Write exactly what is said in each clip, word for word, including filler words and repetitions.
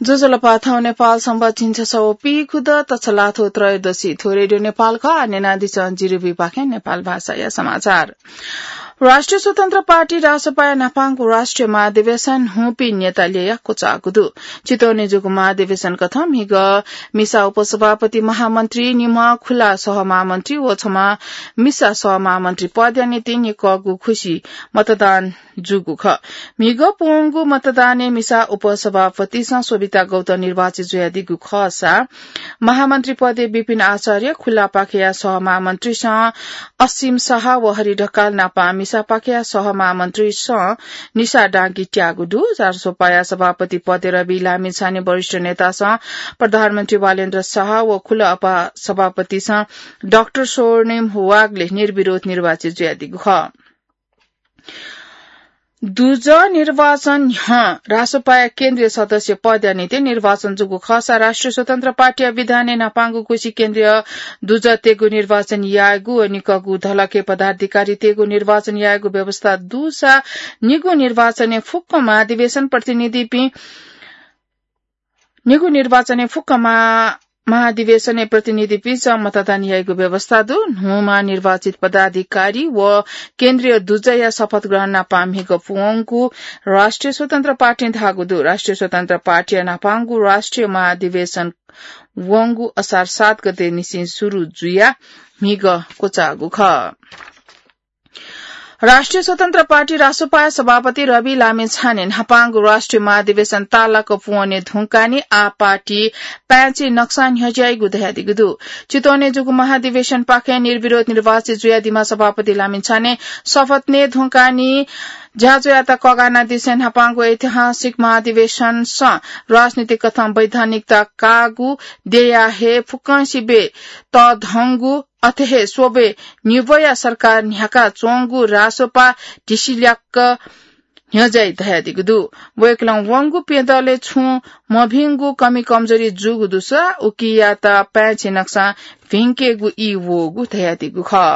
ज्वजलपा, थौं नेपाल संवत् झिंछसः व पीखुद तछलाथ्व त्रयोदशी। थ्व रेडियो नेपाल खः। आः न्यनादिसँ जिरिबुइपाखें नेपाल भाषाया समाचार। राष्ट्रिय स्वतन्त्र पार्टी रासोपाया न्हापांगु राष्ट्रिय महाधिवेशन हुंपिं नेता ल्ययाः क्वचाःगु दु। चितवनय् जूगु महाधिवेशन कथं म्हिगः मिसा उपसभापति, महामन्त्री, निम्ह खुला सहमहामन्त्री व छम्ह मिसा सहमहामन्त्री पदया निंतिं निकःगु खुसी मतदान जूगु खः। म्हिगः प्वंगु मतदानय् मिसा उपसभापतिसं शोभिता गौतम निर्वाचित जुयादीगु खःसा महामन्त्री पदय् विपिन आचार्य, खुलापाखेया सहमहामन्त्रीसं असीम शाह व हरि ढकाल नापं मिसापाखेया सहमहामन्त्रीसं निशा डाँगी त्याःगु दु। रासोपाया सभापति पदय् रवि लामिछाने वरिष्ठ नेतासं प्रधानमन्त्री बालेन्द्र शाह व खुला उपसभापतिसं डाक्टर स्वर्णिम वाग्ले निर्विरोध निर्वाचित जुयादीगु खः। दुजः निर्वाचन न्ह्यः रासोपाया केन्द्रीय सदस्य पदया निंतिं निर्वाचन जूगु खःसा राष्ट्रिय स्वतन्त्र पार्टीया विधानय् न्हापांगु खुसी केन्द्रीय दुजःतय्गु निर्वाचन यायेगु व निकःगु धलखय् पदाधिकारीतय्गु निर्वाचन यायेगु व्यवस्था दुसा निगू निर्वाचनय् फुक्क महाधिवेशन प्रतिनिधिपिं निगू निर्वाचनय् फुक्क महा-, महाधिवेशनय् प्रतिनिधिपिन्सं मतदान याइगु व्यवस्था दु। न्हूम्ह निर्वाचित पदाधिकारी व केन्द्रीय दुजःया शपथ ग्रहण नापं म्हिगः प्वंगु राष्ट्रिय स्वतन्त्र पार्टीं धाःगु दु। राष्ट्रिय स्वतन्त्र पार्टीया न्हापांगु राष्ट्रिय महाधिवेशन वंगु असार सात गते निसें सुरु जुयाः म्हिगः क्वचाःगु खः। राष्ट्रिय स्वतन्त्र पार्टी रासोपाया सभापति रवि लामिछाने न्हापांगु राष्ट्रिय महाधिवेशन ताःलाक प्वने धुंकाः नि आः पार्टी पाँय्छि नकसां न्ह्यज्याइगु धयादीगु दु। चितवनय् जूगु महाधिवेशनपाखें निर्विरोध निर्वाचित जुयादीम्ह सभापति लामिछाने शपथ नये धुंकाः नि ज्याझ्वःयात कःघानादिसें न्हापांगु ऐतिहासिक महाधिवेशनसं राजनीतिक कथं वैधानिकता काःगु देयाः हे फुक्कंसिबें तःधंगु अथे हे स्वब्वय् निब्वया सरकार न्ह्याका च्वंगु रासोपा ढिसिल्याक्क न्ह्यज्याइ धयादीगु दु। वय्कलं वंगु प्यदँलय् छुं मभिंगु कमी कमजोरी जूगु दुसा उकियात पाँय्छि नकसां भिंकेगु ई वःगु धयादीगु खः।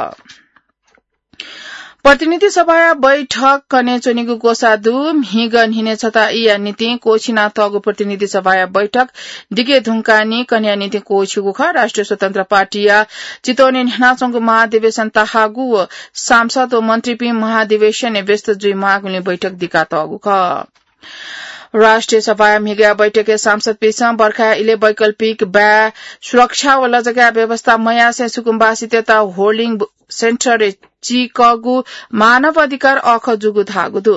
प्रतिनिधि सभाया बैठक कन्हय् च्वनीगु ग्वसाः दु। म्हिगः न्हिनय् छता ईया निंतिं क्वःछिनातःगु प्रतिनिधि सभाया बैठक दिके धुंकाः नि कन्हय्या निंतिं क्वःछिगु खः। राष्ट्रिय स्वतन्त्र पार्टीया चितवनय् न्ह्यानाच्वंगु महाधिवेशन ताःहाःगु व सांसद व मन्त्रीपिं महाधिवेशनय् व्यस्त जुइमाःगुलिं बैठक दिकातःगु खः। राष्ट्रिय सभाया म्हिगःया बैठकय् सांसदपिन्सं बर्खाया इलय् वैकल्पिक बाय् सुरक्षा व लजगाःया व्यवस्था मयासें सुकुम्बासीतय्त होल्डिङ सेन्टरय् चीकःगु मानव अधिकार अःखः जूगु धाःगु दु।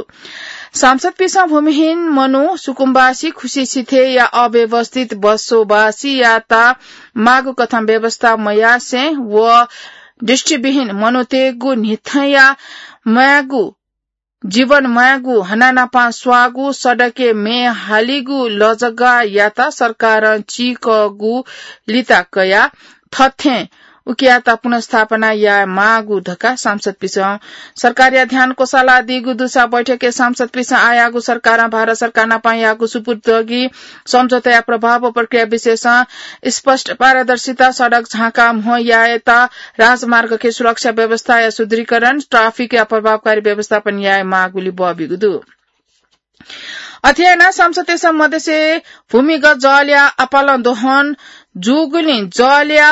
सांसदपिन्सं भूमिहीन मनू, सुकुम्बासी, खुसी सिथय्या अव्यवस्थित बसोबासीयात माःगु कथं व्यवस्था मयासें व दृष्टिविहीन मनूतय्गु न्हिथंया म्वायेगु जीवन म्वायेगु, हनानापं स्वाःगु, सडकय् म्ये हालीगु लजगाःयात सरकारं चीकःगु लिता कयाः थथें उकियात पुनर्स्थापना याये माःगु धकाः सांसदपिन्सं सरकारया ध्यान क्वसालादीगु दुसा बैठकय् सांसदपिन्सं आःयाःगु सरकारं भारत सरकार नापं याःगु सुपुर्दगी सम्झौताया प्रभाव व प्रक्रिया विषयसं स्पष्ट पारदर्शिता, सडक झांका म्हो यायेत, राजमार्गके सुरक्षा व्यवस्थाया सुदृढीकरण, ट्राफिकया प्रभावकारी व्यवस्थापन याये माःगुलि ब्वःबिगु दु। अथे यानाः सांसदतय्सं मदेसे भूमिगत जलया आपालं दोहन जूगुलिं जलया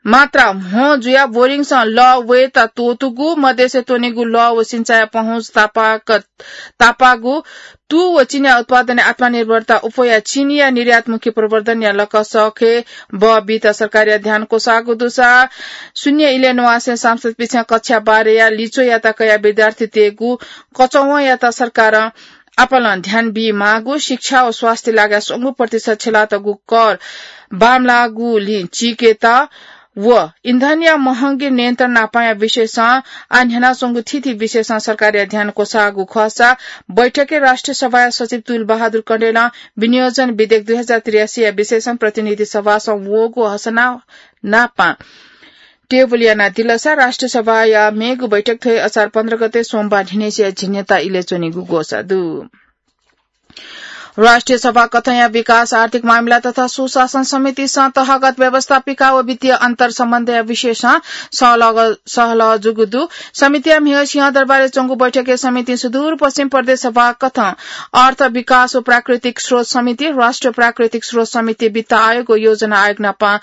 मात्रा म्हो जुयाः बोरिङसं लः वयेत त्वःतूगु, मदेसे त्वनीगु लः व सिंचाया पहुँच तापाक-, तापाःगु, तू व चिनिया उत्पादनय् आत्मनिर्भरता उप्वयाः चिनिया निर्यातमुखी प्रवर्धनया लकसःखे बः बीत सरकारया ध्यान क्वसाःगु दुसा शून्य इलय् न्वासें सांसदपिन्सं कक्षा बाह्रया लिच्वःयात कयाः विद्यार्थीतय्गु कचवंयात सरकारं आपालं ध्यान बीमाःगु, शिक्षा व स्वास्थ्य लागाय् स्वंगू प्रतिशत छ्यलातःगु कर बांमलाःगुलिं चीकेत व इन्धनया महंगी नियन्त्रण नापंया विषयसं आः न्ह्यानाच्वंगु थीथी विषयसं सरकारया ध्यान क्वसाःगु खःसा बैठकय् राष्ट्रिय सभाया सचिव तुल बहादुर कँडेलं विनियोजन विधेयक दुई हजार त्रियासीया विषयसं प्रतिनिधि सभासं वःगु हसना नापं टेबुल यानादिलसा राष्ट्रिय सभाया मेगु बैठक थ्व हे असार पन्ध्र गते सोमबार न्हिनय्सिया झिंन्यता इलय् च्वनीगु ग्वसाः दु। राष्ट्रिय सभा कथंया विकास, आर्थिक मामिला तथा सुशासन समितिसं तहगत व्यवस्थापिका व वित्तीय अन्तर सम्बन्धया विषयसं सहलह, सहलह जूगु दु। समितिया म्हिगः सिंहदरबारय् च्वंगु बैठकय् समितिं सुदूरपश्चिम प्रदेश सभा कथं, अर्थ विकास व प्राकृतिक स्रोत समिति, राष्ट्रिय प्राकृतिक स्रोत समिति, वित्त आयोग व योजना आयोग नाप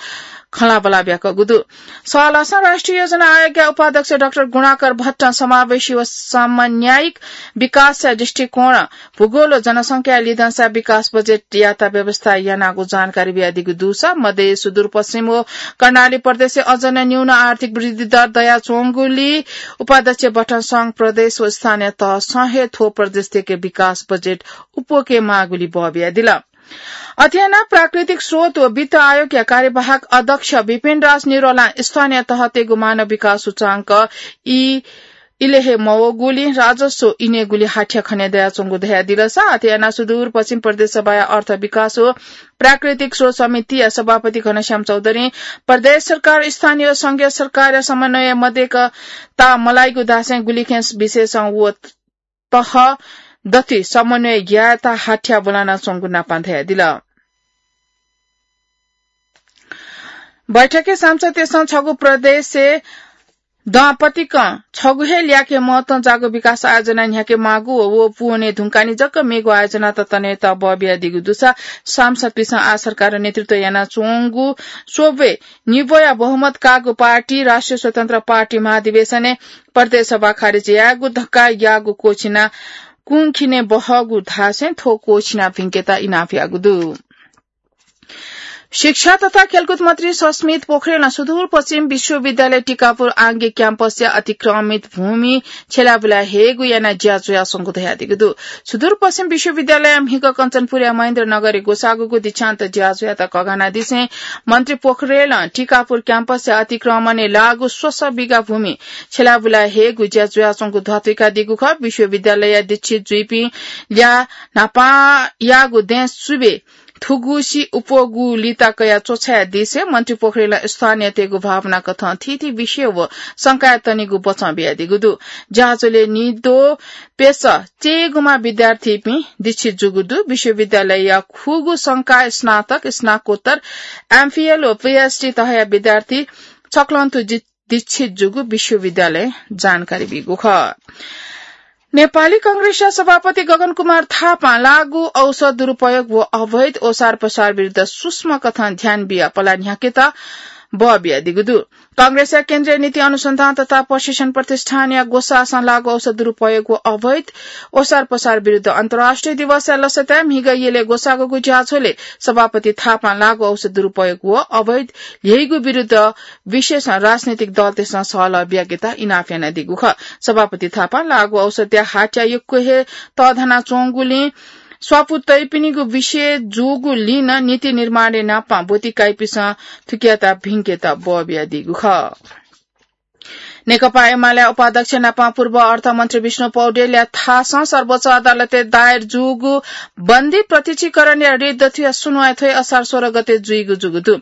खँल्हाबल्हा ब्याकूगु दु। सहलहसं राष्ट्रिय योजना आयोगया उपाध्यक्ष डाक्टर गुणाकर भट्टं समावेशी व समन्यायिक विकासया दृष्टिकोण, भूगोल व जनसंख्याया लिधंसा विकास बजेट यायेत व्यवस्था यानागु जानकारी बियादीगु दुसा, मधेस, सुदूरपश्चिम व कर्णाली प्रदेशय् अझ नं न्यून आर्थिक वृद्धि दर दयाच्वंगुलिं उपाध्यक्ष भट्टं संघ, प्रदेश व स्थानीय तहसं हे थ्व प्रदेशतय्के विकास बजेट उप्वके माःगुलिं बः बियादिल। अथे यानाः प्राकृतिक स्रोत व वित्त आयोगया कार्यवाहक अध्यक्ष विपिन राज निरौलां स्थानीय तहतय्गु मानव विकास सूचांक ई इले हे मवःगुलिं राजस्व इनेगुलिं हाथ्या खने दयाच्वंगु धयादिलसा, अथे यानाः सुदूरपश्चिम प्रदेश सभाया अर्थ विकास व प्राकृतिक स्रोत समितिया सभापति घनश्याम चौधरीं प्रदेश सरकार, स्थानीय व संघीय सरकारया समन्वय मदय्कता मलाइगु धासें गुलिखें विषयसं व तह दथुइ समन्वय यायेत हाथ्या ब्वलानाच्वंगु नापां धयादिल। बैठकय् सांसदतय्सं छगू प्रदेशय् दँपतिकं छगू हे ल्याखय् महत्वं जाःगु विकास आयोजना न्ह्याके माःगु व व पूवने धुंकाः नि जक मेगु आयोजनात तनेत बः बियादीगु दुसा सांसदपिसं आः सरकार नेतृत्व यानाच्वंगु स्वब्वय् निब्वया बहुमत काःगु पार्टी राष्ट्रिय स्वतन्त्र पार्टी महाधिवेशनय् प्रदेश सभा खारेज यायेगु धकाः याःगु क्वःछिना कुंखिने बहःगु धासें थ्व क्वःछिना भिंकेत इनाप याःगु दु। शिक्षा तथा खेलकुद मन्त्री सस्मित पोखरेलं सुदूरपश्चिम विश्वविद्यालय टिकापुर आंगिक क्याम्पसया अतिक्रमित भूमि छ्यलाबुला हयेगु यानाः ज्या जुयाच्वंगु धयादीगु दु। सुदूरपश्चिम विश्वविद्यालयया म्हिगः कञ्चनपुरया महेन्द्रनगरय् ग्वसाःगुगु दीक्षान्त ज्या जुयात कघानादिसें मन्त्री पोखरेलं टिकापुर क्याम्पसया अतिक्रमणय् लाःगु स्वसः बिघा भूमि छ्यलाबुला हयेगु ज्या जुयाच्वंगु ध्वाथुइकादीगु खः। विश्वविद्यालयया दीक्षित जुइपिं ल्याः न्हापांयागु दँय् सुबें थुगुसी उप्वःगु लिता कयाः च्वछायादिसें मन्त्री पोखरेलं स्थानीयतय्गु भावना कथं थीथी विषय व शंकाय् तनेगु बचं बियादीगु दु। ज्याझ्वलय् निद्वः प्यसः चय्‌गुम्ह विद्यार्थीपिं दीक्षित जूगु दु। विश्वविद्यालयया खुगू संकाय स्नातक, स्नाकोत्तर, एमफिल व पीएचडी तहया विद्यार्थी छक्वंतुं दि-, दीक्षित जूगु विश्वविद्यालयं जानकारी बीगु खः। नेपाली कांग्रेसया सभापति गगन कुमार थापां लागू औषध दुरुपयोग व अवैध ओसार पसार विरुद्ध सूक्ष्म कथं ध्यान बियाः पला न्ह्याकेत बः बियादीगु दु। कांग्रेसया केन्द्रीय नीति अनुसन्धान तथा प्रशिक्षण प्रतिष्ठानया ग्वसाःसं लागू औषध दुरुपयोग व अवैध ओसार पसार विरुद्ध अन्तर्राष्ट्रिय दिवसया लसताय् म्हिगः यलय् ग्वसाःगु ज्याझ्वलय् सभापति थापां लागू औषध दुरुपयोग व अवैध ल्ह्यइगु विरुद्ध विशेष राजनीतिक दलतय्सं सहलह बियाकेत इनाप यानादीगु खः। सभापति थापां लागू औषधया हाथ्या यक्व हे तःधनाच्वंगुलिं स्वापू तइपिनिगु विषय जूगुलिं नं नीति निर्माणय् नापं ब्वति काइपिसं थुकियात भिंकेत बः बियादीगु खः। नेकपा एमालेया उपाध्यक्ष नापं पूर्व अर्थमन्त्री विष्णु पौडेलया थासं सर्वोच्च अदालतय् दायर जूगु बन्दी प्रत्यक्षीकरणया रिट दथुया सुनुवाइ थ्व हे असार सोह्र गते जुइगु जूगु दु।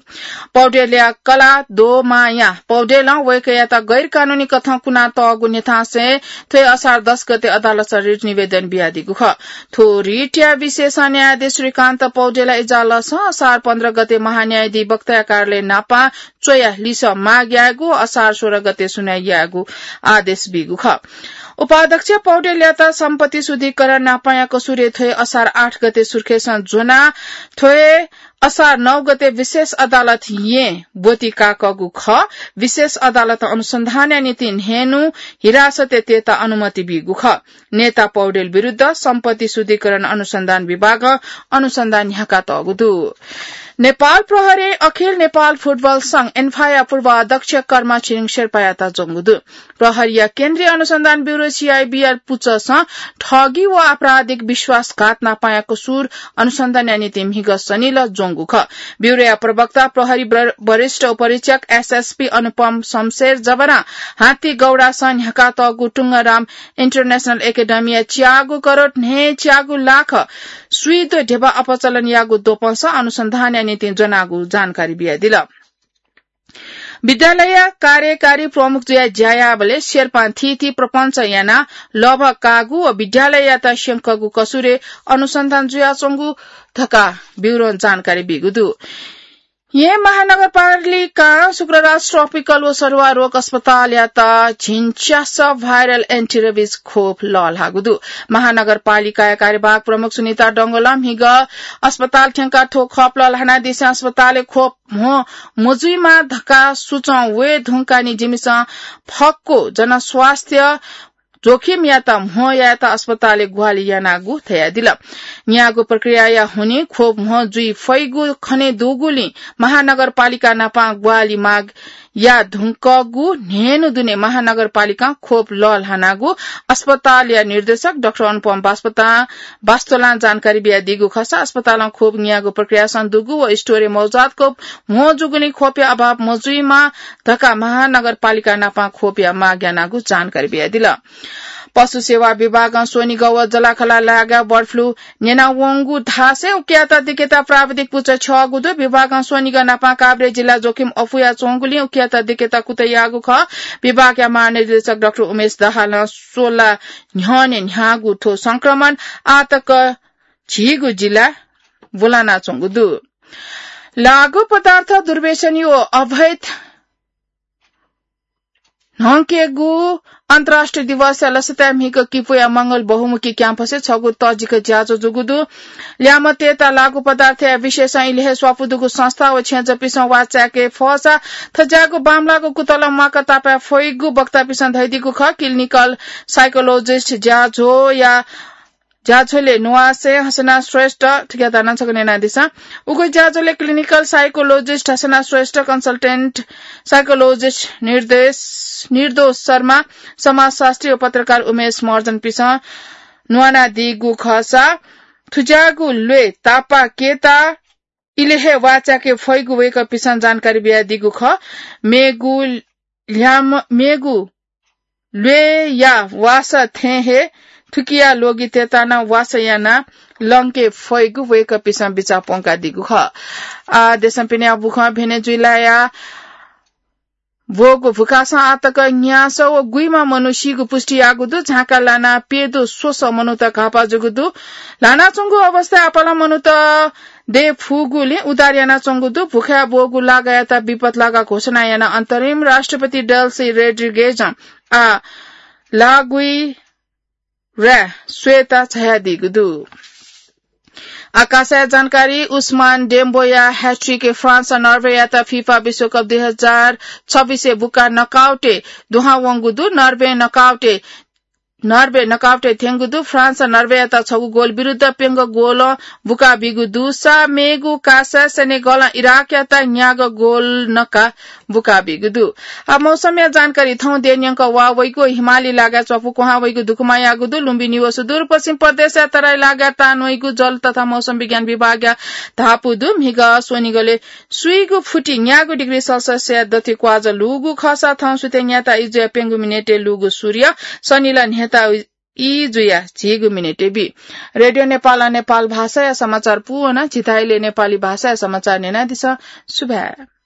पौडेलया कलाः दोमाया पौडेलं वय्कःयात गैरकानूनी कथं कुनातःगु न्ह्यथनासें थ्व हे असार दस गते अदालतं रिट निवेदन बियादीगु खः। थ्व रिटया विषयसं न्यायाधीश श्रीकान्त पौडेलया इजालसं असार पन्ध्र गते महान्यायाधिवक्ताया कार्यालय नापं च्वयाः लिसः माग यायेगु, असार सोह्र गते सुनुवाइ यायेगु आदेश बीगु खः। उपाध्यक्ष पौडेलयात सम्पत्ति शुद्धिकरण नापंया कसुरय् थ्व हे असार आठ गते सुर्खेसं ज्वनाः थ्व हे असार नौ गते विशेष अदालत येँ ब्वति काकःगु खः। विशेष अदालतं अनुसन्धानया निंतिं न्हय्न्हु हिरासतय् तयेत अनुमति बीगु खः। नेता पौडेल विरुद्ध सम्पत्ति शुद्धिकरण अनुसन्धान विभागं अनुसन्धान न्ह्याकातःगु दु। नेपाल प्रहरीं अखिल नेपाल फुटबल संघ, एन्फाया पूर्व अध्यक्ष कर्मा छिरिङ शेर्पायात ज्वंगु दु। प्रहरीया केन्द्रीय अनुसन्धान ब्यूरो, सीआइबीया पुचःसं ठगी व आपराधिक विश्वासघात नापंया कसुर अनुसन्धानया निंतिं म्हिगः शनिलः ज्वंगु खः। ब्यूरोया प्रवक्ता प्रहरी वर-, वरिष्ठ उपरीक्षक एसएसपी अनुपम शमशेर जबरां हात्तीगौडासं न्ह्याकातःगु टुङ्गाराम इन्टरनेसनल एकेडेमीया च्यागू करोड न्हय्च्यागू लाख स्वीद्वः ध्यबा अपचलन याःगु द्वपंसं अनुसन्धानया निंतिं ज्वनागु जानकारी बियादिल। विद्यालय कार्यकारी प्रमुख जुया ज्या याःबलय् शेर्पां थीथी प्रपञ्च यानाः लभा काःगु व विद्यालययात स्यंकःगु कसुरय् अनुसन्धान जुयाच्वंगु धकाः ब्युरों जानकारी बीगु दु। येँ महानगरपालिकां शुक्रराज ट्रपिकल व सरुवा रोग अस्पतालयात झिंच्यास viral anti-rabies खोप लःल्हाःगु दु। महानगरपालिकाया कार्यवाहक प्रमुख सुनिता डंगोलं म्हिगः अस्पताल थ्यंकाः थ्व खोप लःल्हानादिसें अस्पतालय् खोप म्हो मजुइमा धकाः सुचं वये धुंकाः नि जिमिसं फक्व जनस्वास्थ्य जोखिमयात म्हो यायेत अस्पतालय् ग्वाहालि यानागु धयादिल। न्यागू प्रक्रियाया हुनिं खोप म्हो जुइ फइगु खने दुगुलिं महानगरपालिका नापं ग्वाहालि माग या धुंकूगु न्हय्न्हु दुने महानगरपालिकां खोप लःल्हानागु अस्पतालया निर्देशक डाक्टर अनुपम बास्पतां बास्तोलां जानकारी बियादीगु खःसा अस्पतालं खोप न्यागू प्रक्रियासं दुगु व स्टोरय् मौजात खोप म्हो जूगुलिं खोपया अभाव मजुइमा धकाः महानगरपालिका नापं खोपया माग यानागु जानकारी बियादिल। पशु सेवा विभागं स्वनिगः व जलाखला लागाय् बर्ड फ्लू न्यनावंगु धासें उकियात दिकेता प्राविधिक पुचः छ्यःगु दु। विभागं स्वनिगः नापं काभ्रे जिल्ला जोखिम अफुया च्वंगुलिं उकियात दिकेता कुतः याःगु खः। विभागया महानिर्देशक डाक्टर उमेश दाहालं स्वला न्ह्यःने न्ह्याःगु थ्व संक्रमण आःतक झीगु जिल्ला ब्वलानाच्वंगु दु। लागू पदार्थ दुर्व्यसनी व अवैध न्हंकेगु अन्तर्राष्ट्रिय दिवसया लसताय् म्हिगः किपुया मंगल बहुमुखी क्याम्पसय् छगू तःजिक ज्याझ्वः जूगु दु। ल्यामतय्त लागू पदार्थया विषयसं इलय् हे स्वापू दुगु संस्था व छेँजःपिसं वाःचाय्के फःसा थज्याःगु बांमलाःगु कुतलं म्वाका तापाय् फइगु वक्तापिसं धयादीगु खः। क्लिनिकल साइकोलोजिस्ट ज्याझ्वःया ज्याझ्वलय् नुवासय् हसना श्रेष्ठ, थुकियात नं छकः न्यनादिसँ। उगु ज्याझ्वलय् क्लिनिकल साइकोलोजिस्ट हसना श्रेष्ठ, कन्सल्टेन्ट साइकोलोजिस्ट निर्देश, निर्दोष शर्मा, समाजशास्त्री व पत्रकार उमेश महर्जनपिसं न्वानादीगु खःसा थुज्याःगु ल्वय् तापाकेता इलय् हे वाःचाय्के फइगु वय्कःपिसं जानकारी बियादीगु खः। मेगु ल्याम-, मेगु ल्वय्या वासः थें हे थुकिया लोगितय्त नं वासः यानाः लंके फइगु वय्कःपिसं बिचाः प्वंकादीगु खः। आ, देशं पिने बुखं भेनेजुएलाया ब्वःगु भुखासं आःतक न्यासः व गुइमा मनू सीगु पुष्टि याःगु दु। झांका लानाः प्यदँ स्वसः मनूत घाःपाः जूगु दु। ल्हानाच्वंगु अवस्थाय् आपालं मनूत दये फुगुलिं उद्धार यानाच्वंगु दु। भुखाय् ब्वःगु लागायात विपत लागा घोषणा यानाः अन्तरिम राष्ट्रपति डेल्सी रोड्रिगेजं आः लागुइराय् स्वयेत झायादीगु दु। आकाशया जानकारी। उस्मान डेम्बोया ह्याट्रिकय् फ्रान्स नर्वेयात फिफा विश्वकप दुई हजार छब्बिसय् बुका नकआउटय् दुहां वंगु दु। नर्वे नकआउटय् नर्वे नकआउटय् थ्यंगु दु। फ्रान्स नर्वेयात छगू गोल विरुद्ध प्यंगू गोलं बुका बीगु दुसा मेगु कासा सेनेगलं इराकयात न्यागू गोल नका बुका बीगु दु। आ, मौसमया जानकारी। थौं देय् न्यंक वाः वइगु हिमाली लागाय् च्वपु क्वहां वइगु दुकुमा याःगु दु। लुम्बिनी व सुदूरपश्चिम प्रदेशया तराई लागाय् तान वइगु जल तथा मौसम विज्ञान विभागया धापू दु। म्हिगः स्वनिगलय् स्वीगू फुति न्यागू डिग्री सेल्सियसया दथि क्वाजः लूगु खःसा थौं सुथय् न्याता इजुया प्यंगू मिनेटय् लूगु सूर्य सनिला न्ह्यता ई जुया झीगू मिनेटय् बी। रेडियो नेपालं नेपाल भाषाया समाचार पूवना। झीथाय् इलय् नेपाली भाषाया समाचार न्यनादिसँ। सुभाय्।